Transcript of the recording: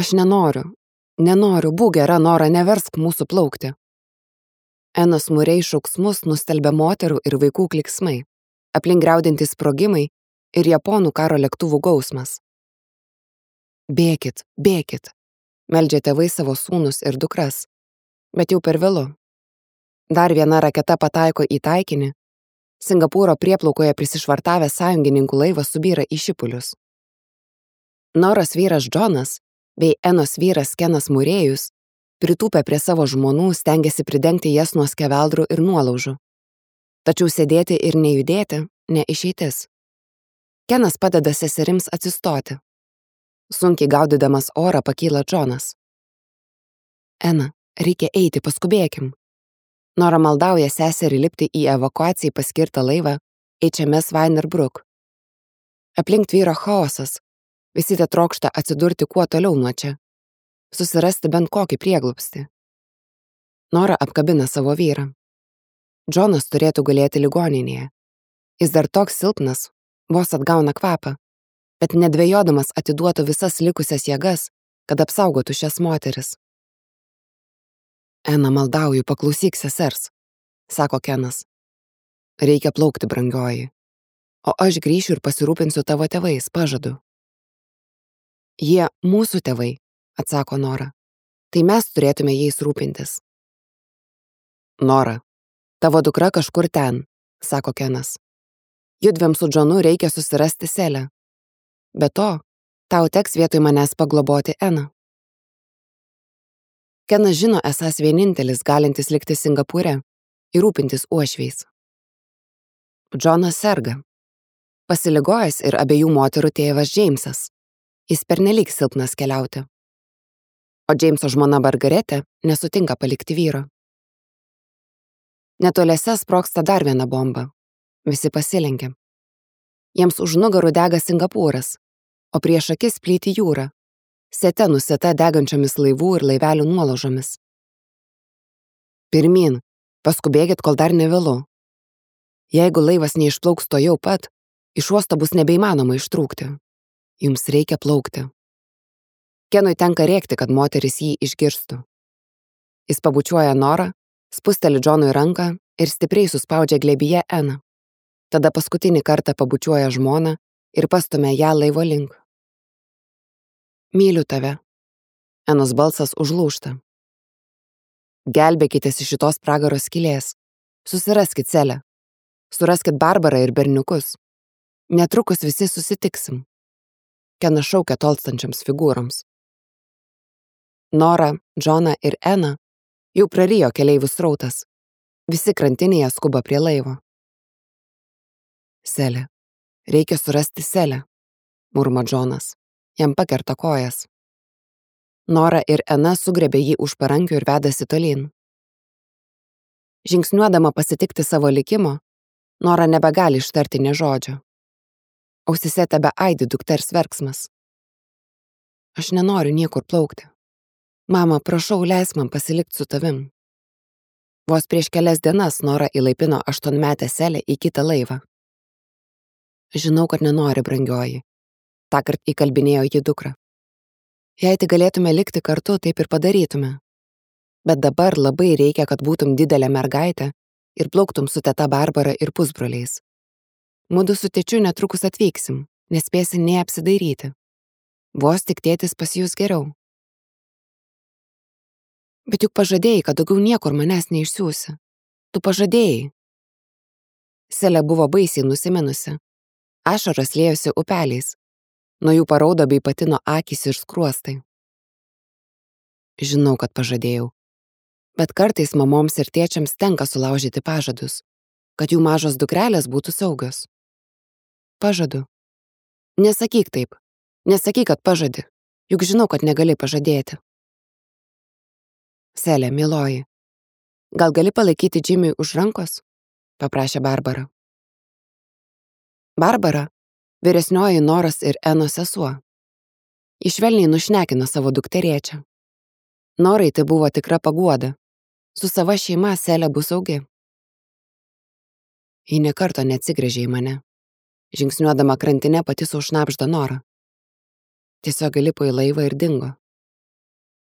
Aš nenoriu, būk gera, Nora, neversk mūsų plaukti. Enos Murray šauksmus nustelbė moterų ir vaikų kliksmai, aplink griaudintys sprogimai ir japonų karo lėktuvų gausmas. Bėkit, meldžia tėvai savo sūnus ir dukras, bet jau per vėlu. Dar viena raketa pataiko į taikinį, Singapūro prieplaukoje prisišvartavęs sąjungininkų laivas subyra į šipulius. Noros vyras Džonas bei Enos vyras Kenas Murėjus pritūpę prie savo žmonų stengiasi pridengti jas nuo skeveldrų ir nuolaužų. Tačiau sėdėti ir nejudėti ne išeitis. Kenas padeda seserims atsistoti. Sunkiai gaudydamas orą pakyla Džonas. Ena, reikia eiti, paskubėkim. Nora maldauja seserį lipti į evakuacijai paskirtą laivą HMS Weinerbrook. Aplink tvyro chaosas, visi te trokšta atsidurti kuo toliau nuo čia, susirasti bent kokį prieglobstį. Nora apkabina savo vyrą. Džonas turėtų gulėti ligoninėje. Jis dar toks silpnas, vos atgauna kvapą, bet nedvejodamas atiduotų visas likusias jėgas, kad apsaugotų šias moteris. Ena, maldauju, paklausyk sesers, sako Kenas. Reikia plaukti, brangioji. O aš grįšiu ir pasirūpinsiu tavo tėvais, pažadu. Jie mūsų tėvai, atsako Nora. Tai mes turėtume jais rūpintis. Nora, tavo dukra kažkur ten, sako Kenas. Judviem su Džonu reikia susirasti Selę. Be to, tau teks vietoj manęs pagloboti Eną. Kenas žino esąs vienintelis galintis likti Singapūre ir rūpintis uošviais. Džonas serga. Pasiligojęs ir abiejų moterų tėvas Džeimsas. Jis pernelyg silpnas keliauti. O Džeimso žmona Margaretė nesutinka palikti vyro. Netoliese sprogsta dar viena bomba. Visi pasilenkia. Jiems už nugarų dega Singapūras, o prieš akis plyti jūra, sete nusėta degančiomis laivų ir laivelių nuolaužomis. Pirmyn, paskubėkit, kol dar nevėlu. Jeigu laivas neišplauks to jau pat, iš uosto bus nebeįmanoma ištrūkti. Jums reikia plaukti. Kenui tenka rėkti, kad moteris jį išgirstų. Jis pabučiuoja Norą, spusteli Džonui ranką ir stipriai suspaudžia glėbyje Eną. Tada paskutinį kartą pabučiuoja žmoną ir pastumia ją laivo link. Myliu tave. Enos balsas užlūžta. Gelbėkitės iš šitos pragaro skylės. Susiraskit Selę. Suraskit Barbarą ir berniukus. Netrukus visi susitiksim. Kenas šaukia tolstančiams figūroms. Nora, Džona ir Ena jau prarijo keleivių srautas. Visi krantinėje skuba prie laivo. Selė. Reikia surasti Selę, murma Džonas. Jam pakerta kojas. Nora ir Ena sugrebė jį už parankių ir vedasi tolyn. Žingsniuodama pasitikti savo likimo, Nora nebegali ištarti nė žodžio. Ausise tebe aidi dukters verksmas. Aš nenoriu niekur plaukti. Mama, prašau, leisk man pasilikti su tavim. Vos prieš kelias dienas Nora įlaipino 8-metę Selę į kitą laivą. Žinau, kad nenori, brangioji. Tąkart įkalbinėjo ji dukrą. Jei tik galėtume likti kartu, taip ir padarytume. Bet dabar labai reikia, kad būtum didelė mergaitė ir plauktum su teta Barbara ir pusbroliais. Mudu su tėčiu netrukus atvyksim, nespėsi nei apsidairyti. Vos tik tėtis pasijus geriau. Bet juk pažadėjai, kad daugiau niekur manęs neišsiųsi. Tu pažadėjai. Selė buvo baisiai nusiminusi. Ašaros liejosi upeliais. Nuo jų paraudo bei patino akys ir skruostai. Žinau, kad pažadėjau. Bet kartais mamoms ir tėčiams tenka sulaužyti pažadus, kad jų mažos dukrelės būtų saugios. Pažadu. Nesakyk taip. Nesakyk, kad pažadi. Juk žinau, kad negali pažadėti. Selė, mieloji. Gal gali palaikyti Džimiui už rankos? Paprašė Barbara. Barbara, vyresnioji Noros ir Enos sesuo. Ji švelniai nušnekino savo dukterėčią. Norai tai buvo tikra paguoda. Su sava šeima Selė bus saugi. Ji nė karto neatsigręžė į mane. Žingsniuodama krantine pati sau šnabžda Nora. Tiesiog įlipo į laivą ir dingo.